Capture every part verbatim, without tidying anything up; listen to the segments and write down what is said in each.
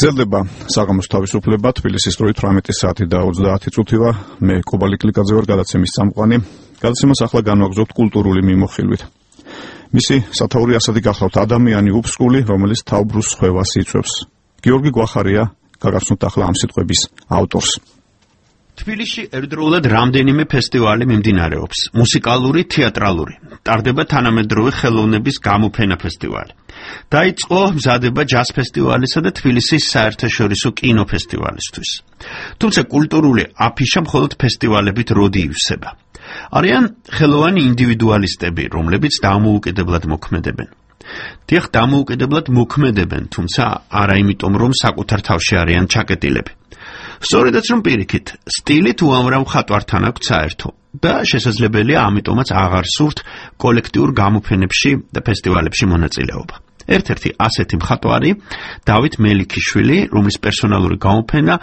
გრძელდება საღამოს თავისუფლება თბილისის დროით თვრამეტი საათი და ოცდაათი წუთივა. მე კობალი კლიკაძე ვარ, გადაცემის წამყვანი. გადაცემას ახლა განვაგრძობთ კულტურული მიმოხილვით. მისი სათაური ასეთი გახლავთ ადამიანი უფსკული, რომელიც თავბრუს სხვევას იწვევს. გიორგი გვახარია გაგაცნოთ ახლა ამ სიტყვების ავტორს. თბილისში ერთდროულად რამდენიმე ფესტივალი მიმდინარეობს. მუსიკალური, თეატრალური. ტარდება თანამედროვე ხელოვნების გამოფენა ფესტივალი. დაიწყო მზადება ჯაზ ფესტივალისა და თბილისის საერთაშორისო კინოფესტივალისთვის. თუმცა კულტურული აფიშა მხოლოდ ფესტივალებით როდი ივსება. არიან ხელოვანი ინდივიდუალისტები, რომლებიც დამოუკიდებლად მოქმედებენ. დიახ, დამოუკიდებლად მოქმედებენ, თუმცა არა იმიტომ, რომ საკუთარ თავში არიან ჩაკეტილები. სწორედაც რომ პირიქით, სტილით უამრავ მხატვართან აქვთ საერთო და შესაძლებელია ამიტომაც აღარ სურთ კოლექტიურ გამოფენებში და ფესტივალებში მონაწილეობა. ერთ-ერთი ასეთი მხატვარი დავით მელიქიშვილი, რომლის პერსონალური გამოფენა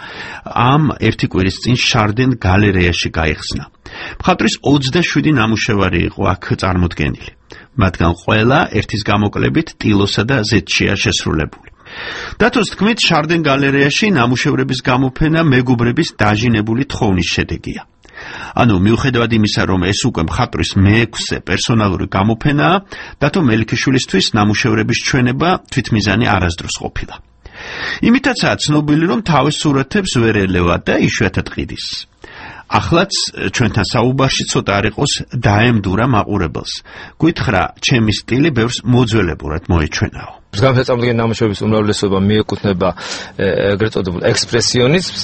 ამ ერთი კვირის წინ შარდენ გალერეაში გაიხსნა. მხატვრის ოცდაშვიდი ნამუშევარი იყო აქ წარმოდგენილი. მათგან ყველა ერთის გამოკლებით ტილოსა და ზეთშია შესრულებული. დათოს თქმით, შარდენ გალერეაში ნამუშევრების გამოფენა მეგობრების დაჟინებული თხოვნის შედეგია. ანუ მიუხედავად იმისა, რომ ეს უკვე მხატვრის მეექვსე პერსონალური გამოფენაა, დათო მელიქიშვილისთვის ნამუშევრების ჩვენება თვითმიზანი არასდროს ყოფილა. იმითაცაა ცნობილი, რომ თავის სურათებს ვერ ელევა და იშვიათად ყიდის. ახლაც ჩვენთან საუბარში ცოტა არ იყოს დაემდურა მაყურებელს. გითხრა, ჩემი სტილი ბევრს მოძველებურად მოეჩვენაო. გამოსაწამდგენი ნამუშევრების უმრავლესობა მიეკუთვნება ეგრეთ წოდებულ ექსპრესიონიზმს,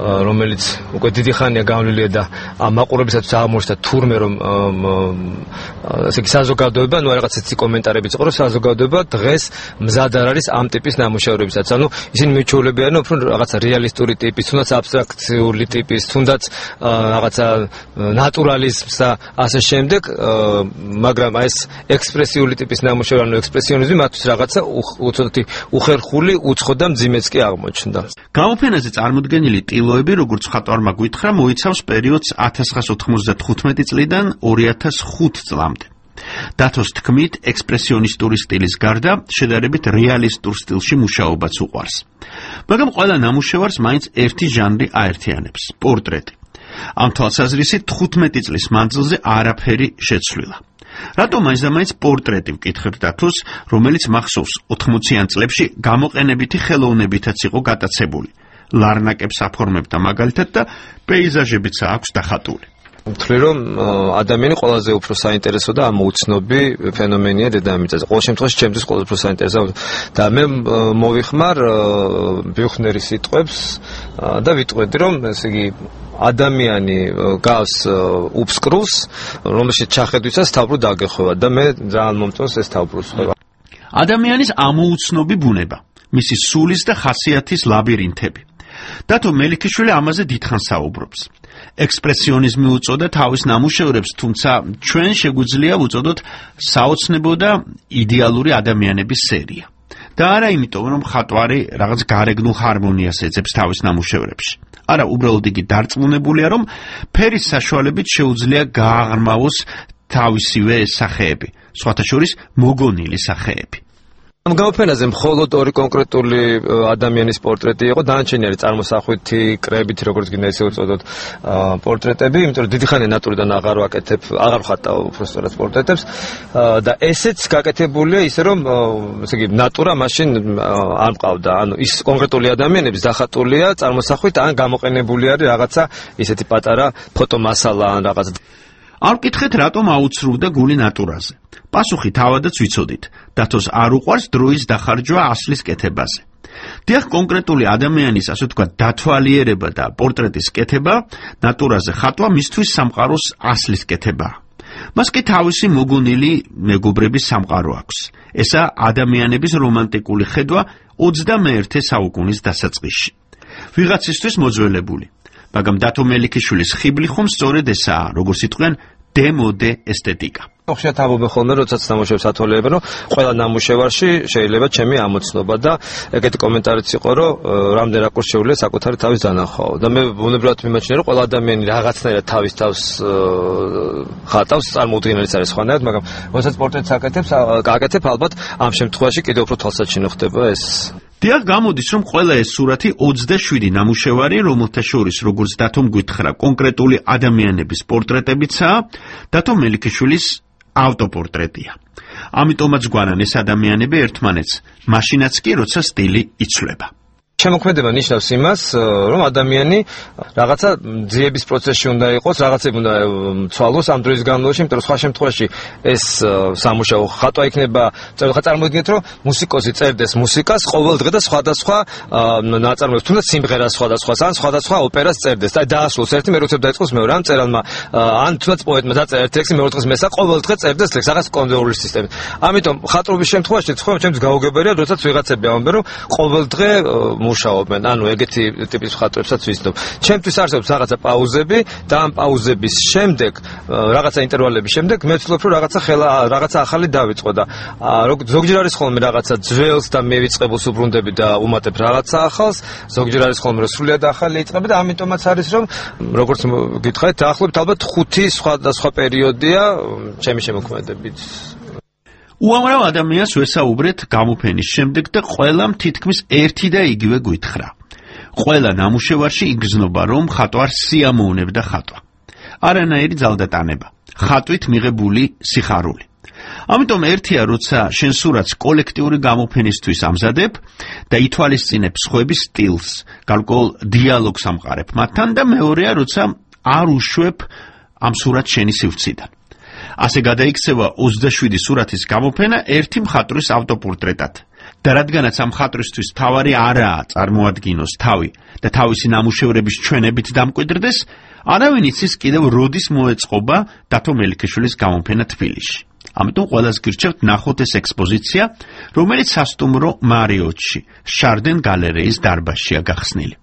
რომელიც უკვე დიდი ხანია გავლილია და ამ მაყურებისათვის აღმოჩნდა თურმე, რომ ესე იგი საზოგადოება, ну რაღაც έτσι კომენტარებიც იყო, რომ საზოგადოება დღეს მზად არ არის ამ ტიპის ნამუშევრებისაც. ანუ ისინი მიჩვეულებიან, რომ რაღაცა რეალისტური ტიპის, თუნდაც აბსტრაქციული ტიპის, თუნდაც რაღაცა ნატურალიზმს და ასე შემდეგ, მაგრამ ეს ექსპრესიული ტიპის ნამუშევარი, ანუ ექსპრესიონიზმი მათთვის რაღაცა უცოტი უხერხული, უცხო და მძიმეც კი აღმოჩნდა. გამოფენაზე წარმოდგენილი ტილოები, როგორც მხატვარმა გითხრა, მოიცავს პერიოდს ათას ცხრაას ოთხმოცდათხუთმეტი წლიდან ორი ათას ხუთი წლამდე. დათოს თქმით, ექსპრესიონისტური სტილის გარდა შედარებით რეალისტურ სტილში მუშაობაც უყვარს. მაგრამ ყველა ნამუშევარს მაინც ერთი ჟანრი აერთიანებს – პორტრეტი. ამ თვალსაზრისით თხუთმეტი წლის მანძილზე არაფერი შეცვლილა. რატომ მაინც და მაინც პორტრეტი ვკითხებ დათოს, რომელიც მახსოვს ოთხმოციან წლებში გამოყენებითი ხელოვნებითაც იყო გატაცებული. ლარნაკებს აფორმებდა მაგალითად და პეიზაჟებიც აქვს დახატული. ვთვლი, რომ ადამიანი ყველაზე უფრო საინტერესო და ამოუცნობი ფენომენია დედამიწაზე. ყოველ შემთხვევაში ჩემთვის ყველაზე უფრო საინტერესო და მე მოვიხმარ ბიუხნერის სიტყვებს და ვიტყვედი, რომ ესე იგი ადამიანი გავს უფსკრულს, რომელშიც ჩახედვისას თავბრუ დაგეხვევა და მე ძალიან მომწონს ეს თავბრუსხვევა. ადამიანის ამოუცნობი ბუნება, მისი სულის და ხასიათის ლაბირინთები. დათო მელიქიშვილი ამაზე დიდხანს საუბრობს. ექსპრესიონიზმი უწოდა თავის ნამუშევრებს, თუმცა ჩვენ შეგვიძლია ვუწოდოთ საოცნებო და იდეალური ადამიანების სერია. და არა იმიტომ, რომ მხატვარი რაღაც გარეგნულ ჰარმონიას ეძებს თავის ნამუშევრებში. არა, უბრალოდ იგი დარწმუნებულია, რომ ფერის საშუალებით შეუძლია გააღრმავოს თავისივე სახეები, სხვათა შორის მოგონილი სახეები. ამ გამოფენაზე მხოლოდ ორი კონკრეტული ადამიანის პორტრეტი იყო, დანარჩენი არის წარმოსახვითი, კრებითი, როგორც გინდა ესე უწოდოთ, პორტრეტები, იმიტომ რომ დიდი ხანია ნატურიდან აღარ ვაკეთებ, აღარ ვხატავ უბრალოდ პორტრეტებს და ესეც გაკეთებულია ისე რომ ესე იგი ნატურა მაშინ არ მყავდა, ანუ ის კონკრეტული ადამიანების დახატულია წარმოსახვით ან გამოყენებული არის რაღაცა ისეთი პატარა ფოტომასალა ან რაღაც. არ ვკითხეთ, რატომ აუცრუვდა გული ნატურაზე. პასუხი თავადაც ვიცოდით. დათოს არ უყვარს დროის დახარჯვა ასლის კეთებაზე. დიახ, კონკრეტული ადამიანის, ასე ვთქვათ, დათვალიერება და პორტრეტის კეთება, ნატურაზე ხატვა მისთვის სამყაროს ასლის კეთებაა. მას კი თავისი მოგონილი მეგობრების სამყარო აქვს. ესა ადამიანების რომანტიკული ხედვა ოცდამეერთე საუკუნის დასაწყისში. ვიღაცისთვის მოძველებული. მაგრამ დათო მელიქიშვილის ხიბლი ხომ სწორედ ესაა, როგორც იტყვიან, დემოდე ესთეტიკა. ხშირად ამბობენ ხოლმე, როდესაც ნამუშევრებს ათვალიერებენ, რომ ყველა ნამუშევარში შეიძლება ჩემი ამოცნობა და ეგეთი კომენტარიც იყო, რომ რამდენ რაკურსს შეუძლია საკუთარი თავის დანახვაო. და მე ბუნებრივად მიმაჩნია, რომ ყველა ადამიანი რაღაცნაირად თავის თავს ხატავს, წარმოუდგენელიც არის სხვანაირად, მაგრამ როდესაც პორტრეტს აკეთებს, აკეთებ, ალბათ ამ შემთხვევაში კიდევ უფრო თვალსაჩინო ხდება ეს. დიახ, გამოდის, რომ ყველა ეს სურათი ოცდაშვიდი ნამუშევარი, რომელთა შორის, როგორც დათომ გითხრა, კონკრეტული ადამიანების პორტრეტებიცაა, დათო მელიქიშვილის ავტოპორტრეტია. ამიტომაც გვანან ეს ადამიანები ერთმანეთს, მაშინაც კი, როცა სტილი იცვლება. შემოქმედება ნიშნავს იმას, რომ ადამიანი რაღაცა ძიების პროცესში უნდა იყოს, რაღაცები უნდა ცვალოს ამ დროის განმავლობაში, იმიტომ რომ სხვა შემთხვევაში ეს სამუშაო ხატვა იქნება, ხა წარმოიდგინეთ, რომ მუსიკოსი წერდეს მუსიკას ყოველ დღე და სხვადასხვა ნაწარმოებს, თუნდაც სიმღერას სხვადასხვას, ან სხვადასხვა ოპერას წერდეს. და დაასრულოს ერთი, მე როცა დაიწყოს მეორე, ან წერალმა, ან თუნდაც პოეტმა დაწერა ერთი ლექსი, მეორე დღეს მესა ყოველ დღე წერდეს ლექსს, რაღაც კონვეიური სისტემით. ამიტომ ხატრობის შემთხვევაში თქვენ ჩემთვის გაუგებარია, როდესაც ვიღაცები ამბობენ, რომ ყოველ დღე მუშაობენ, ანუ ეგეთი ტიპის ხატრებსაც ვიცნობ. ჩემთვის არსებობს რაღაცა პაუზები და ამ პაუზების შემდეგ, რაღაცა ინტერვალების შემდეგ მე ვცდილობ რომ რაღაცა ხელა, რაღაცა ახალი დავიწყო და ზოგჯერ არის ხოლმე რაღაცა ძველს და მევიწყებულს უბრუნდები და უმატებ რაღაცა ახალს, ზოგჯერ არის ხოლმე რომ სრულიად ახალი იწყები და ამიტომაც არის რომ როგორც გითხარით, დაახლოებით ალბათ ხუთი სხვადასხვა პერიოდია ჩემი შემოქმედებით. უამრავ ადამიანს ვესაუბრეთ გამოფენის შემდეგ და ყველამ თითქმის ერთი და იგივე გითხრა. ყველა ნამუშევარში იგრძნობა, რომ ხატვარს სიამოვნებდა ხატვა. არანაირი ძალდატანება, ხატვით მიღებული სიხარული. ამიტომ ერთია, როცა შენ სურათს კოლექტიური გამოფენისთვის ამზადებ და ითვალისწინებ სხვების სტილს, გარკვეულ დიალოგს ამყარებ მათთან და მეორეა, როცა არ უშვებ ამ სურათს შენი სივრციდან. ასე გადაიქცევა ოცდაშვიდი სურათის გამოფენა ერთი მხატვრის ავტოპორტრეტად. და რადგანაც ამ მხატვრისთვის თავარი არაა წარმოადგინოს თავი და თავისი ნამუშევრების ჩვენებით დამკვიდრდეს, არავინ იცის კიდევ როდის მოეწყობა დათო მელიქიშვილის გამოფენა თბილისში. ამიტომ ყველას გირჩევთ ნახოთ ეს ექსპოზიცია, რომელიც სასტუმრო მარიოტში, შარდენ გალერეის დარბაზშია გახსნილი.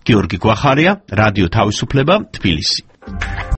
გიორგი გვახარია, რადიო თავისუფლება, თბილისი.